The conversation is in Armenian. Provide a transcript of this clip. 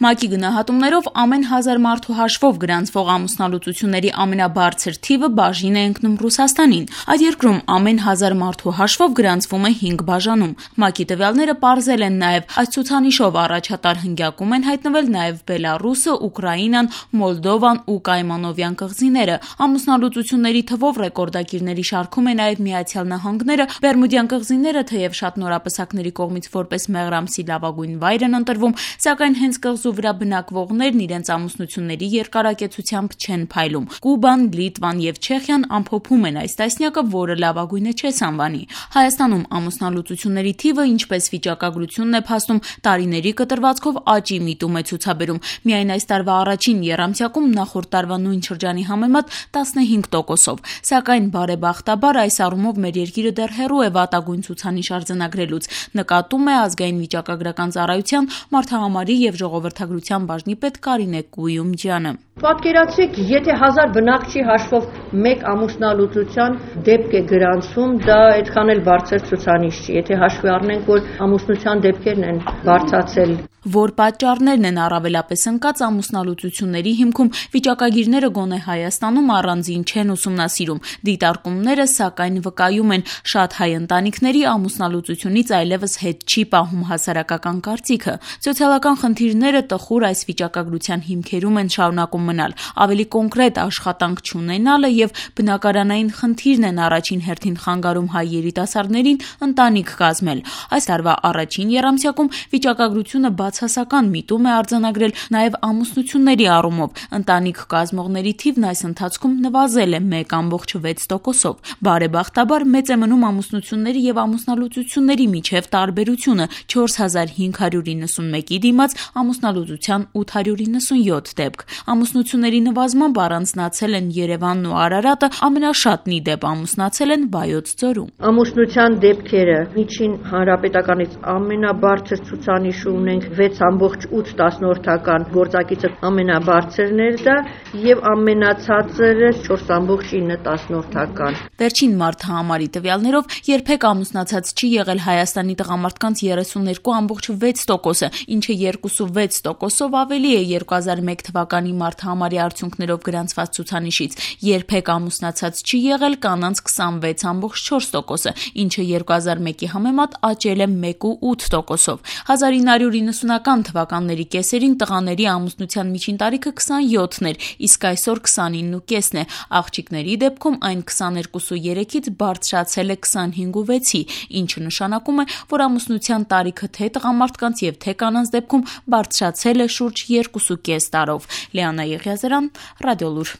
ՄԱԿ-ի գնահատումներով ամեն 1000 մարդու հաշվով գրանցվող ամուսնալուծությունների ամենաբարձր թիվը բաժին է ընկնում Ռուսաստանին։ Այդ երկրում ամեն 1000 մարդու հաշվով գրանցվում է 5 բաժանում։ ՄԱԿ-ի տվյալները պարզել են նաև այս ցուցանիշով առաջատար հնգյակում են հայտնվել նաև Բելառուսը, Ուկրաինան, Մոլդովան ու Կայմանովյան կղզիները։ Ամուսնալուծությունների թվով ռեկորդակիրների շարքում է նաև Միացյալ Նահանգները։ Բերմուդյան կղզիները թեև շատ նորապսակների կողմից որպես մեղրամսի լավագույն վայր են ընտրվում, սակայն հենց կղզու վրա բնակվողներն իրենց ամուսնությունների երկարակեցությամբ չեն փայլում։ Կուբան, Լիտվան եւ Չեխիան ամփոփում են այս տասնյակը, որը լավագույնը չես անվանի։ Հայաստանում ամուսնալուծությունների թիվը, ինչպես վիճակագրությունն է փաստում, տարիների կտրվածքով աճի միտում է ցուցաբերում։ Միայն այս տարվա առաջին եռամսյակում նախորդ տարվա նույն շրջանի համեմատ 15%-ով։ Սակայն բարեբախտաբար այս առումով մեր երկիրը դեռ հեռու է վատագույն ցուցանիշ արձանագրելուց, նկատում է ազգային վիճակագրական ծառայության մարդահամարի եւ ժողովրդագրության բաժնի պետ Կարինե Կույումջյանը։ Պատկերացրեք, եթե 1000 բնակչի հաշվով մեկ ամուսնալուծության դեպք է գրանցվում, դա այդքան էլ բարձր ցուցանիշ չի, եթե հաշվի առնենք, որ ամուսնության դեպքերն են բարձրացել։ Որ պատճառներն են առավելապես ընկած ամուսնալուծությունների հիմքում, վիճակագիրները գոնե Հայաստանում առանձին չեն ուսումնասիրում։ Դիտարկումները, սակայն, վկայում են, շատ հայ ընտանիքների ամուսնալուծությունից այլևս հետ չի պահում հասարակական կարծիքը։ Սոցիալական խնդիրները տխուր այս վիճակագրության հիմքերում են շարունակում մնալ։ Ավելի կոնկրետ աշխատանք չունենալը եւ բնակարանային խնդիրն են առաջին հերթին խանգարում հայ երիտասարդներին ընտանիք կազմել։ Այս տարվա առաջին եռամսյակում վիճակագրությունը բացասական միտում է արձանագրել նաև ամուսնությունների առումով։ Ընտանիք կազմողների թիվն այս ընթացքում նվազել է 1.6%-ով։ Բարեբախտաբար մեծ է մնում ամուսնությունների եւ ամուսնալուծությունների միջև տարբերությունը՝ 4591-ի դիմաց ամուսնալուծության 897 դեպք։ Ամուսնությունների նվազմամբ առանձնացել են Երևանն ու Արարատը, ամենաշատն ի դեպ ամուսնացել են Վայոց ձորում։ Ամուսնության դեպքերը միջին հանրապետականից ամենաբարձր ցուցանիշ ունենք 6.8 գործակիցը ամենաբարձրն էր դա եւ ամենացածրը 4.9 Վերջին մարդահամարի տվյալներով երբեք ամուսնացած չի եղել Հայաստանի տղամարդկանց 32.6%-ը, ինչը 2.6%-ով ավելի է 2001 թվականի մարդահամարի արդյունքներով գրանցված ցուցանիշից։ Երբեք ամուսնացած չի եղել կանանց 26.4%-ը, ինչը 2001-ի համեմատ աճել է 1.8%-ով։ 1990-ական թվականների կեսերին տղաների ամուսնության միջին տարիքը 27-ն էր, իսկ այսօր 29.5-ն է։ Աղջիկների դեպքում այն 22.3-ից բարձրացել է 25.6-ի, ինչը նշանակում է, որ ամուսնության տարիքը թե տղամարդկանց եւ թե կանանց դեպքում բարձրացել է շուրջ 2.5 տարով։ Լիանա Եղիազարյան, Ռադիոլուր։